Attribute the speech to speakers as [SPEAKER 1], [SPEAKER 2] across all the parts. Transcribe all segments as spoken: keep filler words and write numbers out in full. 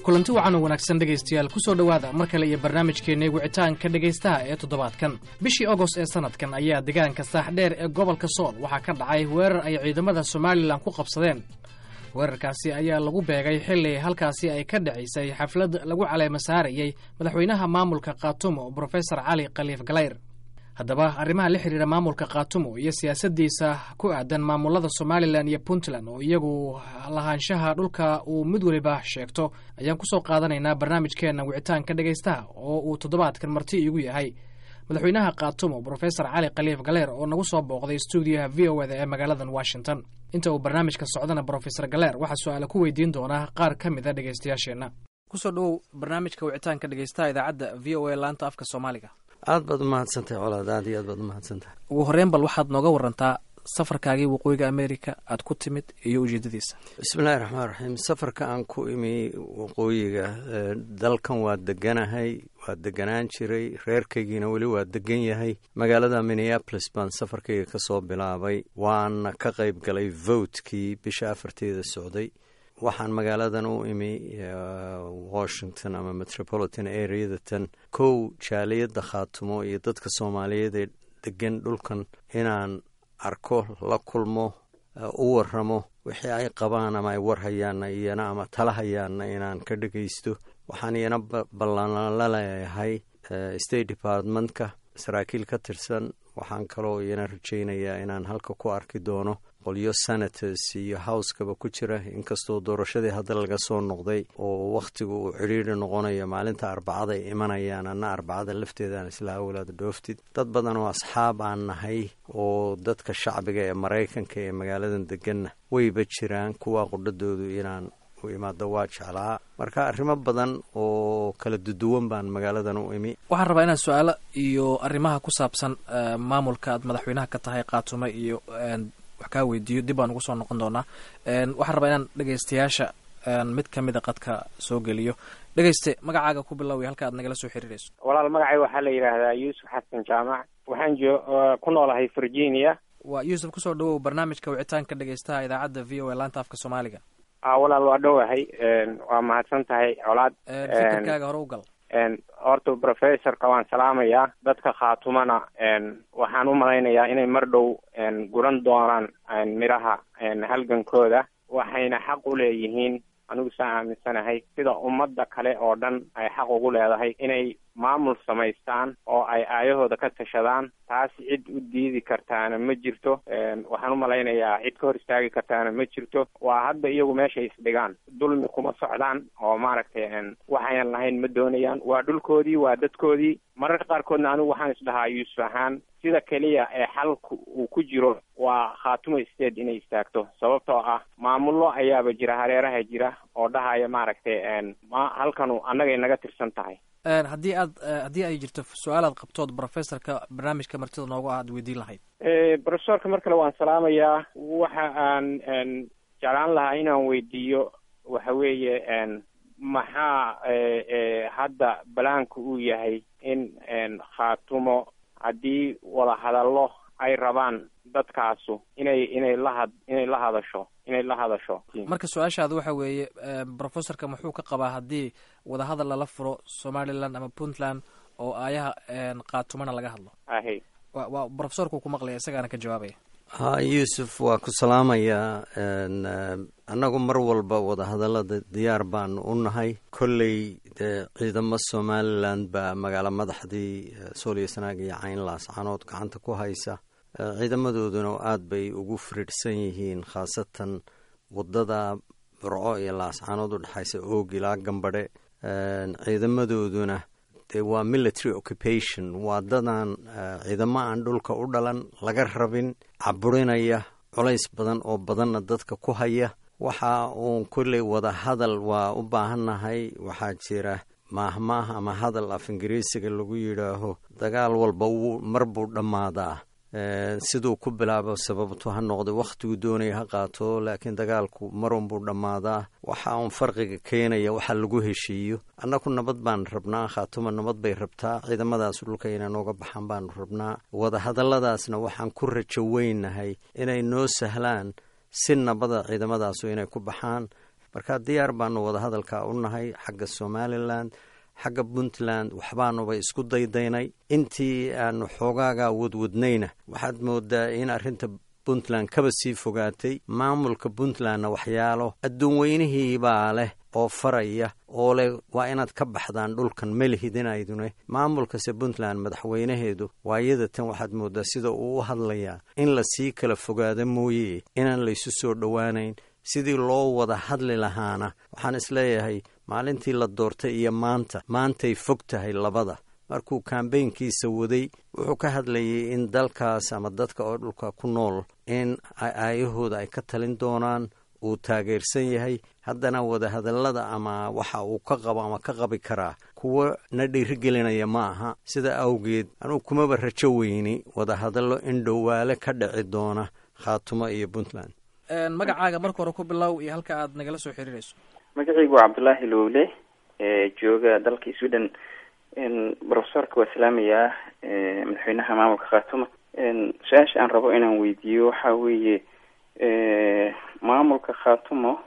[SPEAKER 1] Kulanti wacan oo wanaagsan, dhegaystayaal. Kusoo dhowaada mar kale iyo barnaamijkeenna wicitaanka dhegaystaha ee toddobaadkan. Bishii Ogost ee sanadkan ayaa deegaanka Saaxdheer ee gobolka Sool waxaa ka dhacay weerar ay ciidamada Somalilan ku qabsadeen. Weerarkaasi ayaa lagu beegay xilli halkaasi ay ka dhacaysay xaflad lagu caleema saarayey madaxweynaha maamulka Khaatumo, Brofesor Cali Khaliif Galayr. Haddaba, arrimaha la xiriira maamulka Khaatumo iyo siyaasaddiisa ku aadan maamulada Somalilan iyo Puntland, oo iyagu lahaanshaha dhulka uu mid weliba sheegto, ayaan kusoo qaadanaynaa barnaamijkeenna wicitaanka dhegaystaha, oo uu toddobaadkan marti iigu yahay madaxweynaha Khaatumo, Brofesor Cali Khaliif Galeer, oo nagu soo booqday stuudiyaha V O A da ee magaaladan Washington. Inta uu barnaamijka socdana, Brofesor Galeer waxaa su-aale ku weydiin doonaa qaar ka mid a dhegaystayaasheenna. Kusoo dhowow barnaamijka wicitaanka dhegaystaha, idaacadda V O A, laanta afka Soomaaliga.
[SPEAKER 2] Aad baad umahadsantahay, Colaad, aad iyo aad baad umahadsantahay.
[SPEAKER 1] Ugu horreyn, bal waxaad nooga warantaa safarkaagii waqooyiga America aad ku timid iyo ujeedadiisa.
[SPEAKER 2] Bismillahi raxmaan raxiim. Safarka aan ku imi waqooyiga dalkan, waa deganahay, waa deganaan jiray, reerkaygiina weli waa degan yahay. Magaalada Minneapolis baan safarkayga kasoo bilaabay, waana ka qayb galay votekii bisha afarteeda socday. Waxaan magaaladan u imi, Washington ama metropolitan areadatan, kow jaaliyadda Khaatumo iyo dadka Soomaaliyeed ee degan dhulkan inaan arko, la kulmo, u waramo wixii ay qabaan ama ay warhayaanna iyana ama tala hayaanna inaan ka dhegaysto. Waxaan iyana ballan la leeyahay State Departmentka saraakiil ka tirsan. Waxaan kaloo iyana rajaynayaa inaan halka ku arki doono qolyo senators iyo Housekaba ku jira, inkastoo doorashadii hadda laga soo noqday oo wakhtigu uu cidhiidri noqonayo. Maalinta Arbacada ay imanayaan, anna Arbacada lafteedaan isla awlaad dhooftid. Dad badan oo asxaab aan nahay oo dadka shacbiga ee Maraykanka ee magaaladan deganna wayba jiraan. Kuwa qudhadoodu inaan u imaado waa jeclaa. Marka arrimo badan oo kala duduwan baan magaaladan u imi.
[SPEAKER 1] Waxaan rabaa inaan su-aalo iyo arrimaha ku saabsan maamulka aad madaxweynaha ka tahay, Qaatume, iyo wax kaa weydiiyo. Dib baan ugu soo noqon doonaa. Waxaan rabaa inaan dhegaystayaasha mid kamida qadka soo geliyo. Dhegayste, magacaaga ku biloway, halka aad nagala soo xiriirayso.
[SPEAKER 3] Walaal, magacay waxaa la yidhaahdaa Yuusuf Xasan Jaamac. Waxaan jo ku noolahay Virginia.
[SPEAKER 1] Waa Yuusuf, kusoo dhawow barnaamijka wicitaanka dhegaystaha, idaacadda V O A, laanta afka Soomaaliga.
[SPEAKER 3] A walaal, waa dhowahay, waa mahadsan tahay, Colaad.
[SPEAKER 1] Fikirkaaga hore u gal.
[SPEAKER 3] Horta professorka waan salaamayaa. Dadka Khaatumana waxaan u malaynayaa inay mar dhow guran doonaan midhaha halgankooda, waxayna xaq u leeyihiin, anigu saa aaminsanahay, sida ummadda kale oo dhan ay xaq ugu leedahay inay maamul samaystaan oo ay aayahooda ka tashadaan. Taas cid u diidi kartaana ma jirto. Waxaan u malaynayaa cid ka hor istaagi kartaana ma jirto. Waa hadda iyagu meeshay isdhigaan. Dulmi kuma socdaan oo maaragtay waxayan lahayn ma doonayaan. Waa dhulkoodii, waa dadkoodii. Mararka qaarkoodna anigu waxaan isdhahaa, Yuusuf ahaan, sida keliya ee xalku uu ku jiro waa Khaatumo State inay istaagto, sababtoo ah maamullo ayaaba jira, hareeraha jira, oo dhahaya maaragtay ma halkanu annagay naga tirsan tahay.
[SPEAKER 1] Haddii aad haddii ay jirto su-aal aad qabtood professorka barnaamijka martida noogu ah aad weydiin lahayd.
[SPEAKER 3] Professorka mar kale waan salaamayaa. Waxa aan jeclaan lahaa inaan weydiiyo waxa weeye, maxaa hadda balaanku uu yahay in Khaatumo, haddii wadahadallo ay rabaan dadkaasu, inay inay lahad inay la hadasho inay la hadasho
[SPEAKER 1] Marka su-aashaada waxa weeye, professorka muxuu ka qabaa haddii wadahadal lala furo Somaliland ama Puntland oo aayaha Qaatumana laga hadlo?
[SPEAKER 3] Ahe.
[SPEAKER 1] Wa waa professorku ku maqlaya, isagaana ka jawaabaya.
[SPEAKER 2] Ha, Yuusuf, waa ku salaamayaa. Annagu mar walba wadahadallada diyaar baanu u nahay. Kolley dee ciidamo Somaliland baa magaalo madaxdii Sooliyo, Sanaag iyo Cayn, Laascanood gacanta ku haysa. Ciidamadooduna aad bay ugu firidhsan yihiin, khaasatan wadada Burco iyo Laascanood u dhexaysa, Oog ilaa Gambadhe. Ciidamadooduna dee waa military occupation, waa dadaan ciidamo aan dhulka u dhalan, laga rabin, caburinaya, culays badan oo badanna dadka ku haya. Waxa uun kolley wada hadal waa u baahannahay. Waxaa jira maahmaah ama hadal af Ingiriisiga lagu yidhaaho, "Dagaal walba wuu mar buu dhammaadaa." Siduu ku bilaabo sababtu ha noqdo, wakhtigu doonaya ha qaato, laakiin dagaalku marun buu dhammaadaa. Waxa uun farqiga keenaya waxa lagu heshiiyo. Annaku nabad baan rabnaa, Khaatuma nabad bay rabtaa, ciidamadaas dhulka inay nooga baxaan baanu rabnaa. Wadahadalladaasna waxaan ku rajo weynahay inay noo sahlaan si nabada ciidamadaasu inay ku baxaan. Marka diyaar baanu wadahadalka u nahay xagga Somaliland, xagga Puntland waxbaanuba isku daydaynay. Intii aanu xoogaagaa wadwadnayna waxaad moodaa in arrinta Puntland kaba sii fogaatay. Maamulka Puntlandna waxyaalo adduun weynihiibaa leh oo faraya oo leh waa inaad ka baxdaan dhulkan melihidinaydune. Maamulkase Puntland madaxweynaheedu waayada tan waxaad moodaa sida uu u hadlayaa in lasii kala fogaado mooye inaan laysu soo dhowaanayn. Sidii loo wada hadli lahaana waxaan isleeyahay maalintii la doortay iyo maanta, maantay fog tahay labada. Markuu kambeynkiisa waday wuxuu ka hadlayay in dalkaas ama dadka oo dhulka ku nool in aayahooda ay ka talin doonaan, uu taageersan yahay. Haddana wadahadallada ama waxa uu ka qabo ama ka qabi karaa kuwo na dhiirigelinaya ma aha. Sida awgeed anugu kumaba rajo weyni wadahadallo in dhowaale ka dhici doona Khaatumo iyo Puntland.
[SPEAKER 1] Magacaaga marka hore ku bilow iyo halka aad nagala soo xiriirayso.
[SPEAKER 4] Magacaygu waa Cabdullaahi Lowle, jooga dalka Sweden. Professorka waa salaamayaa, madaxweynaha maamulka Khaatuma. Su-aasha aan rabo inaan weydiiyo waxa weeye, maamulka Khaatumo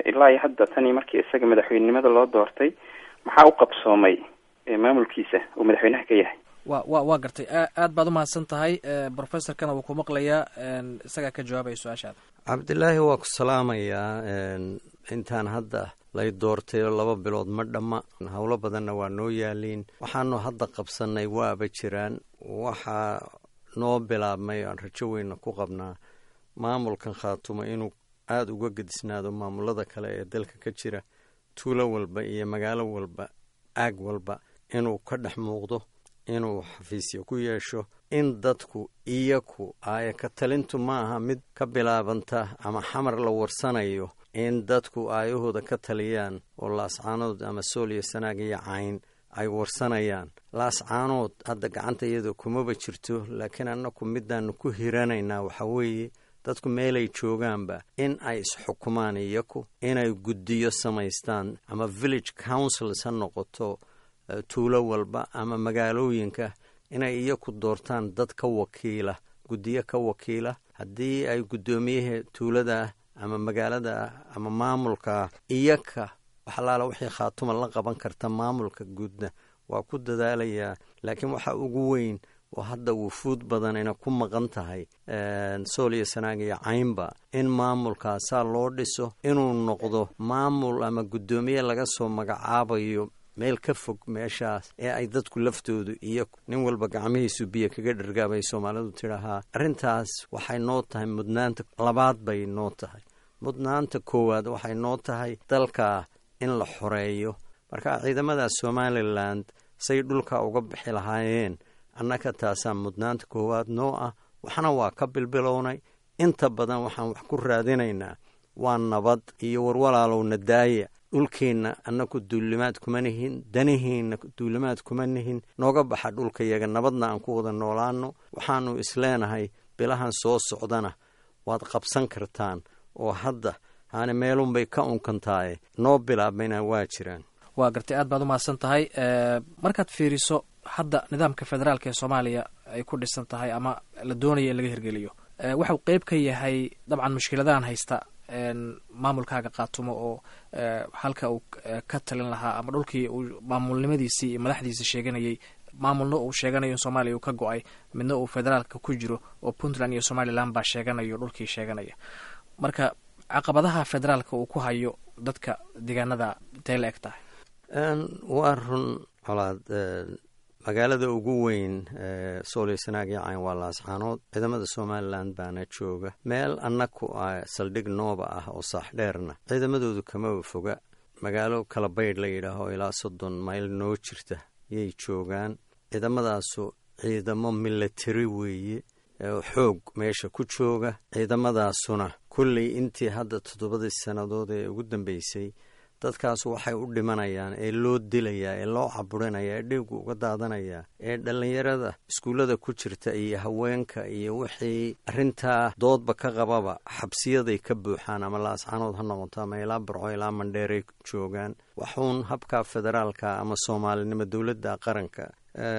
[SPEAKER 4] ilaa iyo hadda tani markii isaga madaxweynenimada loo doortay maxaa u qabsoomay maamulkiisa uu madaxweynaha ka yahay?
[SPEAKER 1] Wa wa waa gartay, aad baad umahadsan tahay. Professorkana wuu ku maqlayaa, isagaa ka jawaabaya su-aashaada.
[SPEAKER 2] Cabdilaahi, waa ku salaamayaa. Intaan hadda lay doortay oo laba bilood ma dhamma, howlo badanna waa noo yaaliin. Waxaanu hadda qabsannay waaba jiraan. Waxaa noo bilaabmay aan rajo weyna ku qabnaa maamulkan Khaatumo inuu aada uga gedisnaado maamulada kale ee dalka ka jira, tuulo walba iyo magaalo walba, aag walba inuu ka dhex muuqdo, inuu xafiisyo ku yeesho, in dadku iyaku aaya ka talintu ma aha mid ka bilaabanta ama xamar la warsanayo, in dadku aayahooda ka taliyaan oo Laascaanood ama Sool iyo Sanaag iyo Cayn ay warsanayaan. Laascaanood hadda gacanta iyada kumaba jirto, laakiin annaku midaanu ku hiranaynaa waxaa weeye dadku meelay joogaanba in ay isxukumaan iyaku, inay guddiyo samaystaan ama village councils ha noqoto tuulo walba ama magaalooyinka, inay iyaku doortaan dad ka wakiila, guddiyo ka wakiila. Haddii ay guddoomiyaha tuulada ama magaalada ama maamulka iyaka waxalaala wixii Khaatuma la qaban karta maamulka guudna waa ku dadaalayaa. Laakiin waxa ugu weyn oo hadda wufuud badanina ku maqan tahay Sool iyo Sanaag iyo Caynba in maamulkaasaa loo dhiso, inuu noqdo maamul ama guddoomiye laga soo magacaabayo meel ka fog meeshaas ee ay dadku laftoodu iyo nin walba gacmihiisu biyo kaga dhargaabay Soomaalidu tidhahaa. Arrintaas waxay noo tahay mudnaanta labaad bay noo tahay. Mudnaanta koowaad waxay noo tahay dalka in la xoreeyo. Marka ciidamada Somaliland say dhulka uga bixi lahaayeen, annaka taasaa mudnaanta koowaad noo ah. Waxna waa ka bilbilownay. Inta badan waxaan wax ku raadinaynaa waa nabad iyo warwalaalowna daaya dhulkeenna, annaku duulimaad kuma nihin, danihiinna duulimaad kuma nihin, nooga baxa dhulka yaga, nabadna aan ku wada noolaano. Waxaanu isleenahay bilahan soo socdana waad qabsan kartaan oo hadda haani meelunbay ka unkantaaye noo bilaabmayna waa jiraan.
[SPEAKER 1] Waa gartay, aad baad umahadsan tahay. Markaad fiiriso hadda nidaamka federaalka ee Soomaaliya ay ku dhisan tahay ama la doonaya in laga hirgeliyo, waxau qeyb ka yahay dabcan mushkiladahan haysta maamulkaaga Qaatumo oo halka uu ka talin lahaa ama dhulkii uu maamulnimadiisii iyo madaxdiisii sheeganayay, maamulna uu sheeganayo in Soomaaliya uu ka go-ay, midna uu federaalka ku jiro oo Puntland iyo Somaliland baa sheeganayo dhulkii sheeganaya. Marka caqabadaha federaalka uu ku hayo dadka deegaanada intay la eg tahay?
[SPEAKER 2] Waa run, Colaad. Magaalada ugu weyn Sool iyo Sanaag iyo Cayn waa Laascaanood. Ciidamada Somaliland baana jooga. Meel annaku ah saldhig nooba ah oo Saaxdheerna ciidamadoodu kamaba foga, magaalo kala baydh la yidhaaho ilaa soddon mayl noo jirta yay joogaan ciidamadaasu. Ciidamo milatari weeye, xoog meesha ku jooga. Ciidamadaasuna kulley intii hadda toddobadii sannadood ee ugu dambeysay dadkaas waxay u dhimanayaan ee loo dilayaa ee loo caburinayaa ee dhiigu uga daadanayaa ee dhallinyarada iskuullada ku jirta iyo haweenka iyo wixii arrintaa doodba ka qababa xabsiyaday ka buuxaan, ama Laascanood ha noqoto ama ilaa Barco ilaa Mandheeray joogaan. Waxuun habka federaalka ama soomaalinimo dowladda qaranka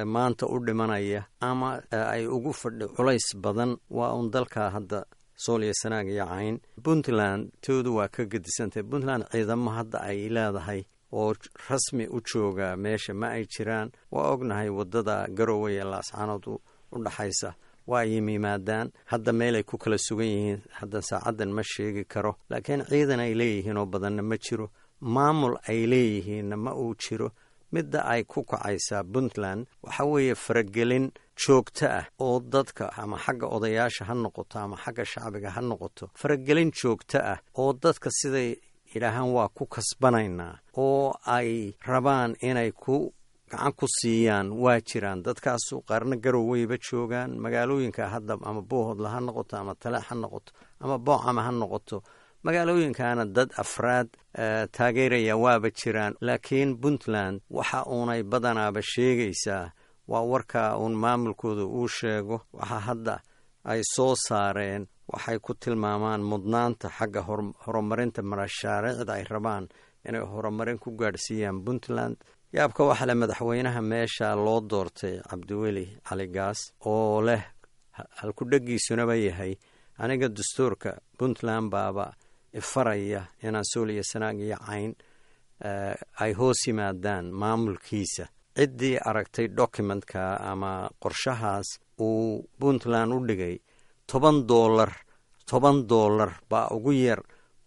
[SPEAKER 2] maanta u dhimanaya ama ay ugu fadhi culays badan waa uun dalka hadda Sool iyo Sanaag iyo Cayn. Puntland toodu waa ka gedisantahay. Puntland ciidamo hadda ay leedahay oo rasmi u jooga meesha ma ay jiraan. Waa ognahay waddada Garowe ee Laascaanood u dhaxaysa waa ay yimaadaan, hadda meelay ku kala sugan yihiin hadda saacaddan ma sheegi karo, laakiin ciidan ay leeyihiin oo badanna ma jiro, maamul ay leeyihiinna ma uu jiro. Midda ay ku kacaysaa Puntland waxa weeye faragelin joogto ah oo dadka ama xagga odayaasha ha noqoto ama xagga shacbiga ha noqoto, faragelin joogto ah oo dadka siday yidhaahaan waa ku kasbanaynaa oo ay rabaan inay ku gacan ku siiyaan waa jiraan. Dadkaasu qaarna Garoweyba joogaan, magaalooyinka hadda ama Boohodla ha noqoto ama Taleex ha noqoto ama Boocama ha noqoto, magaalooyinkaana dad afraad taageeraya waaba jiraan. Laakiin Puntland waxa uunay badanaaba sheegaysaa waa warkaa uun maamulkooda uu sheego. Waxa hadda ay soo saareen waxay ku tilmaamaan mudnaanta xagga horumarinta mashaariicda ay rabaan inay horumarin ku gaadhsiiyaan Puntland. Yaabka waxaa leh madaxweynaha meesha loo doortay Cabdiweli Cali Gaas oo leh halkudhegiisunaba yahay aniga dastuurka Puntland baaba ifaraya inaan Sool iyo Sanaag iyo Cayn ay hoos yimaadaan maamulkiisa. Ciddii aragtay documentka ama qorshahaas uu Puntland u dhigay toban doolar toban doolar baa ugu yar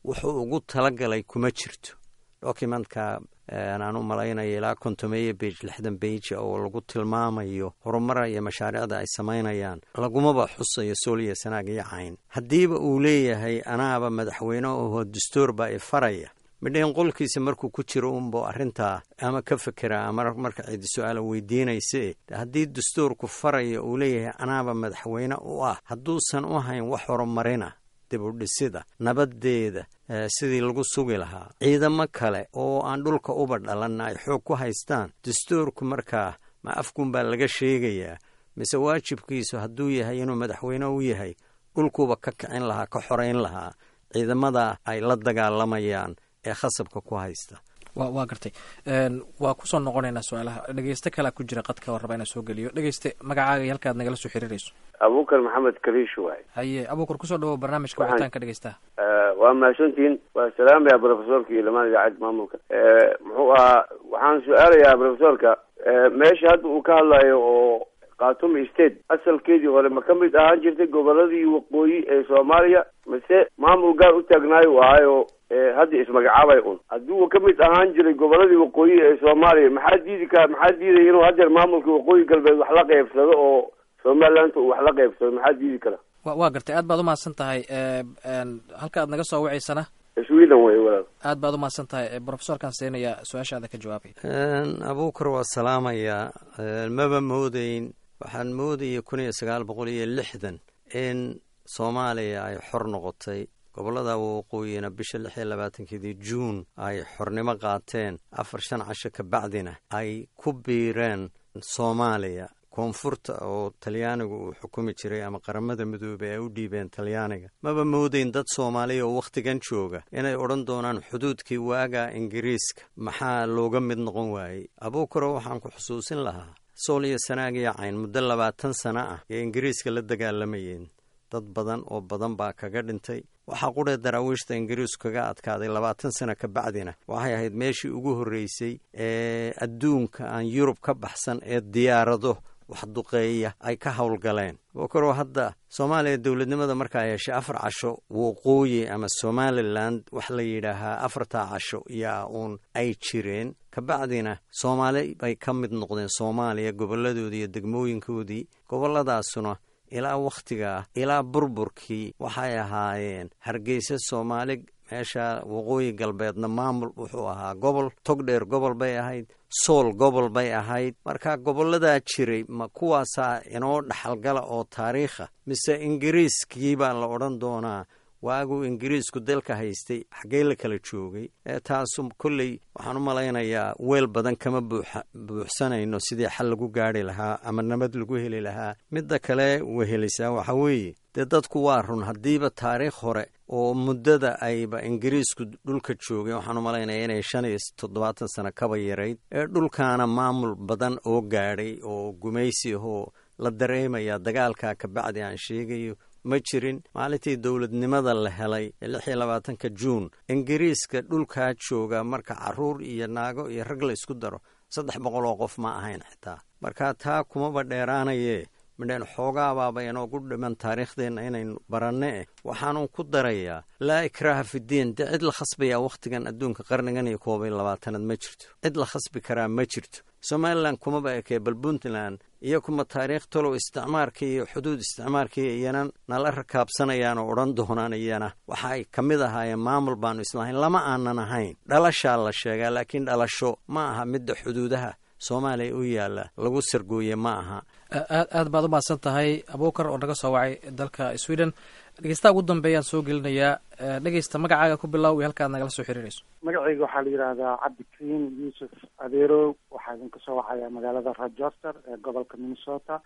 [SPEAKER 2] wuxuu ugu talagalay kuma jirto. Documentka aan u malaynaya ilaa kontomeeyo bage lixdan bage oo lagu tilmaamayo horumara iyo mashaariicda ay samaynayaan lagumaba xusayo Sool iyo Sanaag iyo Cayn. Haddiiba uu leeyahay anaaba madaxweyne oho dastuur baa ifaraya, midhayn qolkiisa markuu ku jiro unbo arrintaa ama ka fekeraa ama marka cidi su-aala weydiinayse. Haddii dastuurku faraya uu leeyahay anaaba madaxweyne u ah, hadduusan u hayn wax horumarina, dib u dhisida, nabadeeda sidii lagu sugi lahaa, ciidamo kale oo aan dhulka uba dhalanna ay xoog ku haystaan, dastuurku markaa ma afkunbaa laga sheegayaa mise waajibkiisu hadduu yahay inuu madaxweyne u yahay dhulkuuba ka kicin lahaa, ka xorayn lahaa ciidamada ay la dagaalamayaan ee khasabka ku haysta.
[SPEAKER 1] Waa gartay, waa kusoo noqonaynaa su-aalaha. Dhegeyste kalea ku jira qadka oo raba inaan soo geliyo. Dhegeyste, magacaaga iyo halkaad nagala soo xiriirayso.
[SPEAKER 5] Abuukar Maxamed Kariish waay.
[SPEAKER 1] Haye Abuukar, kusoo dhawow barnaamijka wicitaanka dhegeystaha.
[SPEAKER 5] Waa mahadsantihiin, waa salaamaya profesorka iyo lamaan idaacadda maamulka. Muxuu ahaa, waxaan su-aalayaa profesorka meesha hadda uu ka hadlayo oo Khaatumo State asalkeedii hore ma ka mid ahaan jirtay goboladii waqooyi ee Soomaaliya mise maamul gaar u taagnaayo u ahaayo hadda ismagacaabay un? Haddii uu ka mid ahaan jiray goboladii waqooyi ee Soomaaliya, maxaa diidi ka maxaa diidaya inuu haddeer maamulka waqooyi galbeed wax la qeybsado oo Somaliland uu wax la qeybsado? Maxaa diidi kara?
[SPEAKER 1] Wa waa gartay, aad baad umahadsan tahay. Halka aad naga soo wacaysana
[SPEAKER 5] Sweden wey walaal.
[SPEAKER 1] Aad baad umahadsan tahay. Profesorkaan siinaya su-aashaada ka jawaabay.
[SPEAKER 2] Abuukar waa salaamayaa. Maba moodeyn, waxaan moodayay kun iyo sagaal boqol iyo lixdan in Soomaaliya ay xor noqotay, gobollada waqooyina bisha lix iyo labaatankeedii Juun ay xornimo qaateen, afar shan casho ka bacdina ay ku biireen Soomaaliya. Koonfurta oo Talyaanigu uu xukumi jiray ama Qaramada Midoobey ay u dhiibeen Talyaaniga. Maba moodeyn dad Soomaaliya oo wakhtigan jooga inay odhan doonaan xuduudkii waagaa Ingiriiska maxaa looga mid noqon waayey. Abuukaro waxaan ku xusuusin lahaa Sool iyo Sanaag iyo Cayn muddo labaatan sano ah ee Ingiriiska la dagaalamayeen, dad badan oo badan baa kaga dhintay. Waxaa qudhee daraawiishta Ingiriisku kaga adkaaday labaatan sano ka bacdina waxay ahayd meeshii ugu horreysay ee adduunka aan Yurub ka baxsan ee diyaarado wax duqeeya ay ka howlgaleen. Abuukaro hadda Soomaaliya dowladnimada markaa heshay afar casho waqooyi ama Somaliland wax la yidhaahaa afartaa casho yaa uun ay jireen, kabacdina Soomaali bay ka mid noqdeen Soomaaliya goboladoodii iyo degmooyinkoodii. Goboladaasuna ilaa wakhtigaa ilaa burburkii waxay ahaayeen Hargeysa Soomaali, meesha waqooyi galbeedna maamul wuxuu ahaa gobol, Togdheer gobol bay ahayd, Sool gobol bay ahayd. Marka goboladaa jiray ma kuwaasaa inoo dhaxalgala oo taariikha mise Ingiriiskii baa la odhan doonaa waaguu Ingiriisku dalka haystay xaggee la kala joogay? Taasu kolley waxaan u malaynayaa weel badan kama buuxa buuxsanayno sidii xal lagu gaari lahaa ama nabad lagu heli lahaa. Midda kale wehelisaa waxaa weeye dee dadku waa run, haddiiba taariikh hore oo muddada ayba Ingiriisku dhulka joogay waxaan u malaynaya inay shan iyo toddobaatan sano kaba yarayd, ee dhulkaana maamul badan oo gaadhay oo gumaysi ahoo la dareemaya dagaalkaa kabacdi aan sheegayo Ma jirin. Maalintii dowladnimada la helay lix iyo labaatanka Juun, Ingiriiska dhulkaa jooga marka caruur iyo naago iyo rag la isku daro saddex boqol oo qof ma ahayn xitaa. Marka taa kumaba dheeraanaye, midheen xoogaabaaba inoogu dhiman taariikhdeenna inaynu baranne eh. Waxaanun ku darayaa, laa ikraaha fidiin. Dee cid la khasbayaa wakhtigan adduunka qarnigan iyo koob iyo labaatanaad ma jirto, cid la khasbi karaa ma jirto. Somalilan kumaba ekee, bal Puntland iyo kuma taariikh talow isticmaarkii iyo xuduud isticmaarkii iyana nala rakaabsanayaan oo odhan doonaan iyana waxa ay ka mid ahaayeen maamul baanu islahayn. Lama aanan ahayn, dhalashaa la sheegaa, laakiin dhalasho ma aha midda xuduudaha Soomaaliya u yaalla lagu sargooye ma aha.
[SPEAKER 1] Aad aad baad u mahadsan tahay, Abuukar oo naga soo wacay dalka Sweden. Dhegeystaha ugu dambeeyaan soo gelinayaa. Dhegeysta, magacaaga ku bilow iyo halka aad nagala soo xiriirayso.
[SPEAKER 6] Magacayga waxaa la yidhaahdaa Cabdikariim Yuusuf Adeerow. Waxaa idinka soo wacaya magaalada Rochester ee gobolka Minnesota.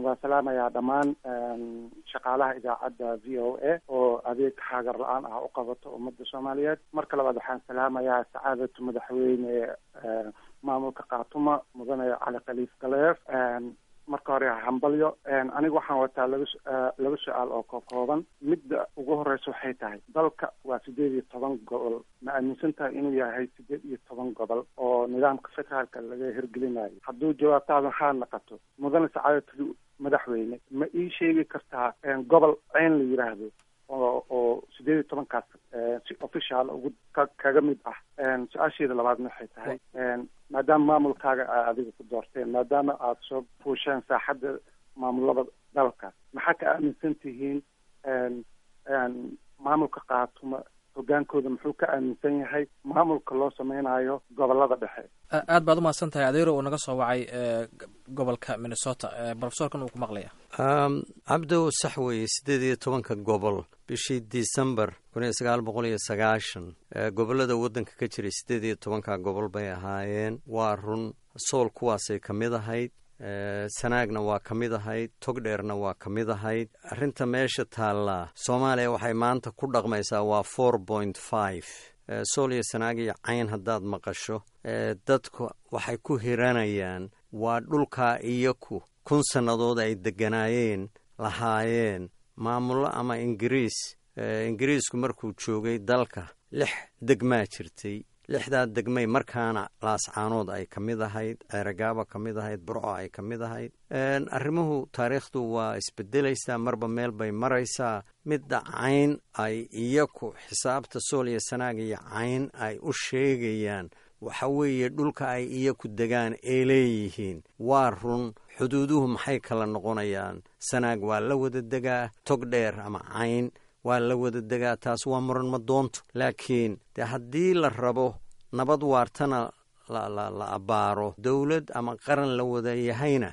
[SPEAKER 6] Waa salaamayaa dhammaan shaqaalaha idaacadda V O A oo adeeg haagar la-aan ah u qabato ummadda Soomaaliyeed. Marka labaad, waxaan salaamayaa sacaadatu madaxweyne maamulka Khaatuma, mudane Cali Khaliif Galeer. Marka hore hambalyo. Aniga waxaan wataa laba laba su-aal oo kokooban. Midda ugu horeysa waxay tahay, dalka waa sideed iyo toban gobol. Ma aaminsan tahay inuu yahay sideed iyo toban gobol oo nidaamka federaalka laga hirgelinayo? Hadduu jawaabtaada haa naqato, mudane sacaadatu madaxweyne, ma ii sheegi kartaa gobol Ceyn la yiraahdo oo oo sideed iyo tobankaas si official ugu kaga mid ah? Su-aasheeda labaadna waxay tahay, maadaama maamulkaaga aa adiga ku doorteen, maadaama aada soo fuusheen saaxadda maamulada dalka, maxaa ka aaminsan tihiin maamulka Qaatuma? Hogaankooda muxuu ka aaminsan yahay maamulka loo sameynayo gobolada dhexe?
[SPEAKER 1] Aad baad umahadsan tahay, Adeero uu naga soo wacay gobolka Minnesota. Profesorkan uu ku maqlaya.
[SPEAKER 2] Cabdow, sax weeye, siddeed iyo tobanka gobol bishii December kun iyo sagaal boqol iyo sagaashan gobollada waddanka ka jiray siddeed iyo tobanka gobol bay ahaayeen. Waa run, Sool kuwaasay ka mid ahayd, Sanaagna waa ka mid ahayd, Togdheerna waa ka mid ahayd. Arrinta meesha taallaa, Soomaaliya waxay maanta ku dhaqmaysaa waa four point five. Sool iyo Sanaag iyo Cayn haddaad maqasho, dadku waxay ku hiranayaan waa dhulkaa iyaku kun sannadood ay degganaayeen, lahaayeen maamullo ama Ingiriis. Ingiriisku markuu joogay dalka lix degmaa jirtay. Lixdaa degmay markaana Laascaanood ay ka mid ahayd, Ceeragaaba ka mid ahayd, Burco ay ka mid ahayd. Arrimuhu taariikhdu waa isbedelaysaa, marba meel bay maraysaa. Midda Cayn ay iyaku xisaabta Sool iyo Sanaag iyo Cayn ay u sheegayaan waxa weeye dhulka ay iyaku degaan ee leeyihiin. Waa run, xuduuduhu maxay kala noqonayaan? Sanaag waa la wada degaa, Tog Dheer ama Cayn waa la wada degaa, taas waa muran ma doonto. Laakiin dee haddii la rabo nabad waartana la la abbaaro, dowlad ama qaran la wada yahayna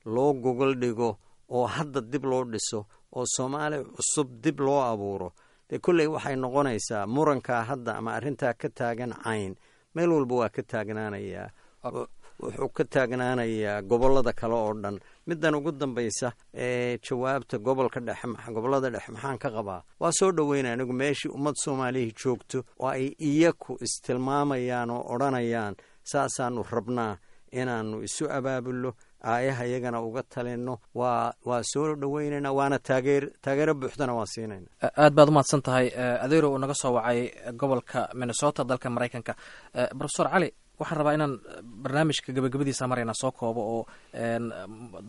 [SPEAKER 2] loo gogol dhigo oo hadda dib loo dhiso oo Soomaali cusub dib loo abuuro, dee kolley waxay noqonaysaa murankaa hadda ama arrintaa ka taagan Cayn meel walba waa ka taagnaanayaa, wuxuu ka taagnaanayaa gobollada kale oo dhan. Middan ugu dambaysa ee jawaabta, gobolka dhexe, gobollada dhexe maxaan ka qabaa? Waa soo dhoweynaya anigu. Meeshii ummad Soomaalihii joogto oo ay iyaku istilmaamayaan oo odhanayaan saasaanu rabnaa inaanu isu abaabulno, aayaha iyagana uga talinno, waa waa soo dhoweynaynaa, waana taageer taageero buuxdana waa siinayna.
[SPEAKER 1] Aad baad umahadsan tahay, Adeero uu naga soo wacay gobolka Minnesota, dalka Maraykanka. Profesor Cali, waxaan rabaa inaan barnaamijka gabagabadiisa marayna soo koobo oo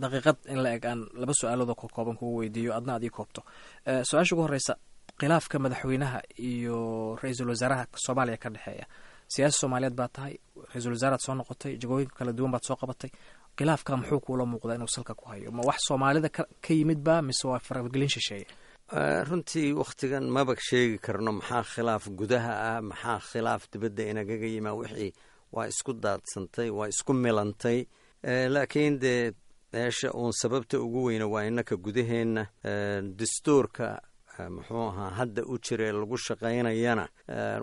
[SPEAKER 1] daqiiqad in la eg aan laba su-aalood oo kooban kugu weydiiyo, adna aad ii koobto. Su-aasha ugu horeysa, khilaafka madaxweynaha iyo ra-iisul wasaaraha Soomaaliya ka dhexeeya. Siyaasi Soomaaliyeed baa tahay, ra-iisul wasaaraad soo noqotay, jagooyinka kala duwan baad soo qabatay. Khilaafka muxuu kuula muuqdaa inuu salka ku hayo? Ma wax Soomaalida ka yimid ba mise waa faragelin shisheeye?
[SPEAKER 2] Runtii wakhtigan maba sheegi karno maxaa khilaaf gudaha ah, maxaa khilaaf dibadda inagaga yimaa. Wixii waa isku daadsantay, waa isku milantay. Laakiin dee meesha uun sababta ugu weyna waa inaka gudaheenna. Dastuurka muxuu ahaa hadda u jira ee lagu shaqaynayana,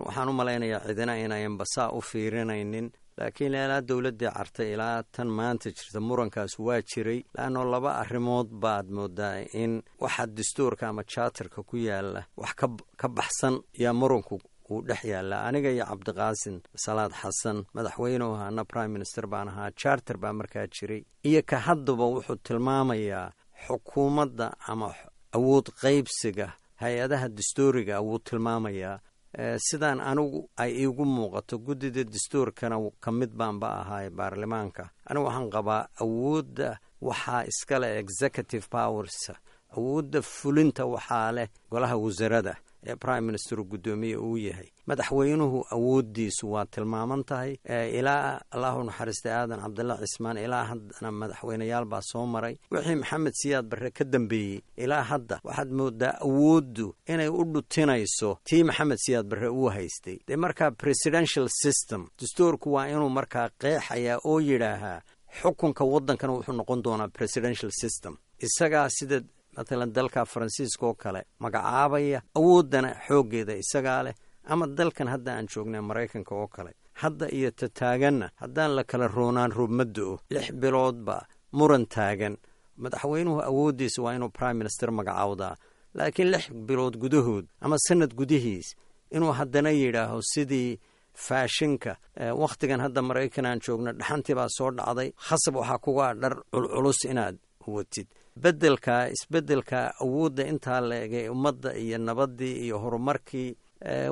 [SPEAKER 2] waxaan u malaynayaa cidina inayanba saa u fiirinaynin. Laakiin ilaa dowladdii Cartay ilaa tan maanta jirta murankaas waa jiray, laanno laba arrimood baad moodaa in waxa dastuurka ama charterka ku yaala wax ka ka baxsan yaa muranku uu dhex yaallaa. Aniga iyo Cabdiqaasin Salaad Xasan madaxweynuhu ahaana, prime minister baan ahaa, charter baa markaa jiray iyo ka haddaba wuxuu tilmaamayaa xukuumadda ama Awood qaybsiga hay-adaha dastuuriga wuu tilmaamayaa. Sidaan anigu ay iigu muuqato, guddida dastuurkana ka mid baanba ahaay baarlamaanka, anigu waxaan qabaa awoodda waxaa iskale executive powers, awoodda fulinta waxaa leh golaha wasarada ee prime minister guddoomiye uu yahay. Madaxweynuhu awooddiisu waa tilmaaman tahay. Ilaa Allahu naxariistay Aadan Cabdalla Cismaan ilaa haddana madaxweyneyaal baa soo maray. Wixii Maxamed Siyaad Barre ka dambeeyey ilaa hadda waxaad moodaa awooddu inay u dhutinayso tii Maxamed Siyaad Barre uu haystay. Dee markaa presidential system dastuurku waa inuu markaa qeexayaa oo yidhaahaa xukunka waddankana wuxuu noqon doonaa presidential system. Isagaa sida matalan dalka Faransiiska oo kale magacaabaya, awooddana xooggeeda isagaa leh, ama dalkan hadda aan joognay Maraykanka oo kale. Hadda iyo ta taaganna haddaan la kala roonaan roob ma do-o, lix biloodba muran taagan. Madaxweynuhu awooddiisa waa inuu prime minister magacaawdaa, laakiin lix bilood gudahood ama sanad gudihiis inuu haddana yidhaaho sidii faashinka wakhtigan hadda Maraykan aan joogno, dhaxantii baa soo dhacday, khasab waxaa kugaa dhar culculus inaad watid. Bedelka isbedelka awoodda intaa la egay ummadda iyo nabaddii iyo horumarkii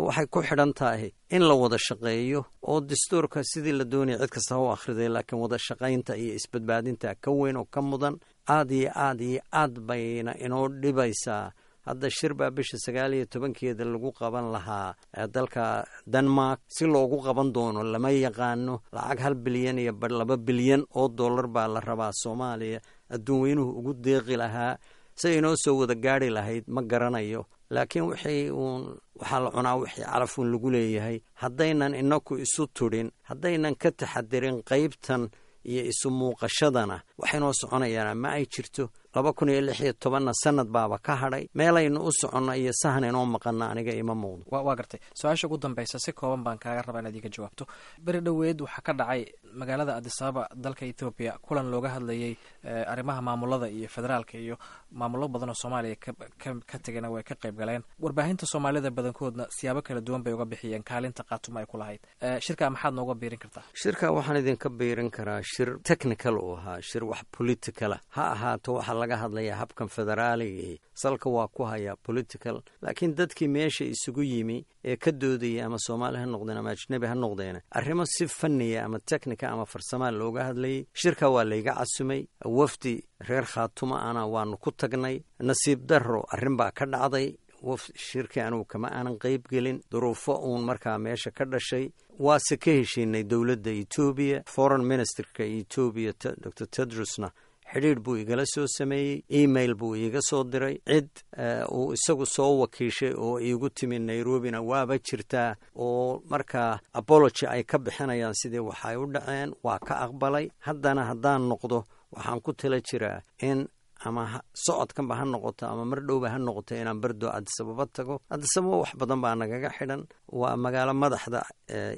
[SPEAKER 2] waxay ku xidhan tahay in la wada shaqeeyo oo dastuurka sidii la doonaya cid kasta ha u akhriday, laakiin wada shaqaynta iyo isbadbaadinta ka weyn oo ka mudan. Aad iyo aad iyo aad bayna inoo dhibaysaa. Hadda shir baa bisha sagaal iyo tobankeeda lagu qaban lahaa dalka Denmark. Si loogu qaban doono lama yaqaano. Lacag hal bilyan iyo bar, laba bilyan oo dollar baa la rabaa Soomaaliya adduun weynuhu ugu deeqi lahaa. Si inoo soo wada gaari lahayd ma garanayo, laakiin wixii uun waxaa la cunaa wixii calafuun lagu leeyahay. Haddaynan inaku isu tudhin, haddaynan ka taxadirin qaybtan iyo isu muuqashadana, waxaynoo soconayaana ma ay jirto. Laba kun iyo lix iyo tobanna sanad baaba ka hadhay. Meelaynu u soconno iyo sahan inoo maqana aniga ima muuqdo.
[SPEAKER 1] Waa gartay. Su-aasha ugu dambeysa si kooban baan kaaga rabaa inaad iga jawaabto. Beri dhoweed waxaa ka dhacay magaalada Adisababa dalka Ethoobiya kulan looga hadlayay arrimaha maamulada iyo federaalka, iyo maamullo badan oo Soomaaliya ka tegana way ka qayb galeen. Warbaahinta Soomaalida badankoodna siyaabo kala duwan bay uga bixiyeen kaalinta Qaatuma ay ku lahayd shirka. Maxaad nooga biirin kartaa?
[SPEAKER 2] Shirka waxaan idinka biirin karaa shir technical uu ahaa, shir wax political ah ha ahaato. Waxaa laga hadlayaa habkan federaaligii salka waa ku hayaa political, laakiin dadkii meesha isugu yimi ee ka doodayay, ama Soomaali ha noqdeen ama ajnebi ha noqdeen, arrimo si fanniya ama technical ama farsamaa looga hadlayay. Shirka waa layga casumay, wafdi reer Khaatuma ana waanu ku tagnay. Nasiib darro arrin baa ka dhacday, shirkii anugu kama aanan qayb gelin, duruufo uun markaa meesha ka dhashay. Waase ka heshiinay dowladda Etoobiya. Foreign ministerka Etoobiya Doctor Tedrusna xidhiidh buu igala soo sameeyey, email buu iiga soo diray. Cid uu isagu soo wakiishay oo iigu timi Nairobina waaba jirtaa, oo markaa apology ay ka bixinayaan sidii waxay u dhaceen. Waa ka aqbalay. Haddana haddaan noqdo waxaan ku tala jiraa in ama socodkanba ha noqoto ama mar dhowba ha noqoto inaan bardo Adisababa tago. Adisababa wax badan baa nagaga xidhan. Waa magaalo madaxda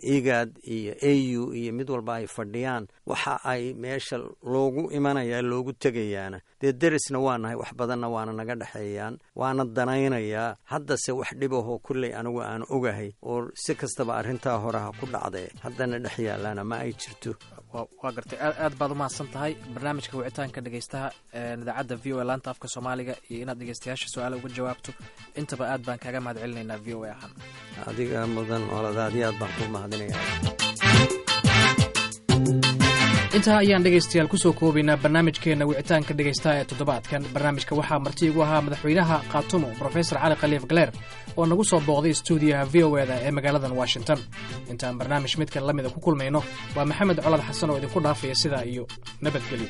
[SPEAKER 2] IGAD iyo A U iyo mid walba ay fadhiyaan. Waxa ay meesha loogu imanaya loogu tegayaana dee derisna waa nahay, wax badanna waana naga dhexeeyaan, waana danaynayaa. Haddase wax dhibahoo kulley anigu aan ogahay oo si kastaba arrintaa hore ha ku dhacdee haddana dhex yaalaana ma ay jirto.
[SPEAKER 1] Waa gartay. Aad baad umahadsan tahay. Barnaamijka wicitaanka dhegeystaha idaacadda V O A laanta afka Soomaaliga iyo inaad dhegeystayaasha su-aala uga jawaabto intaba aad baan kaaga mahad celinaynaa V O A ahaan.
[SPEAKER 2] Adiga mudan oladaadi, aad baan ku mahadinaya.
[SPEAKER 1] Intaa ayaan dhegaystayaal kusoo koobaynaa barnaamijkeenna wicitaanka dhegaystaha ee toddobaadkan. Barnaamijka waxaa marti igu ahaa madaxweynaha Khaatumo, Brofesor Cali Khaliif Galeer, oo nagu soo booqday stuudiyaha V O E da ee magaaladan Washington. Intaan barnaamij midkan la mida ku kulmayno, waa Maxamed Colad Xasan oo idinku dhaafaya sidaa iyo nabadgelyo.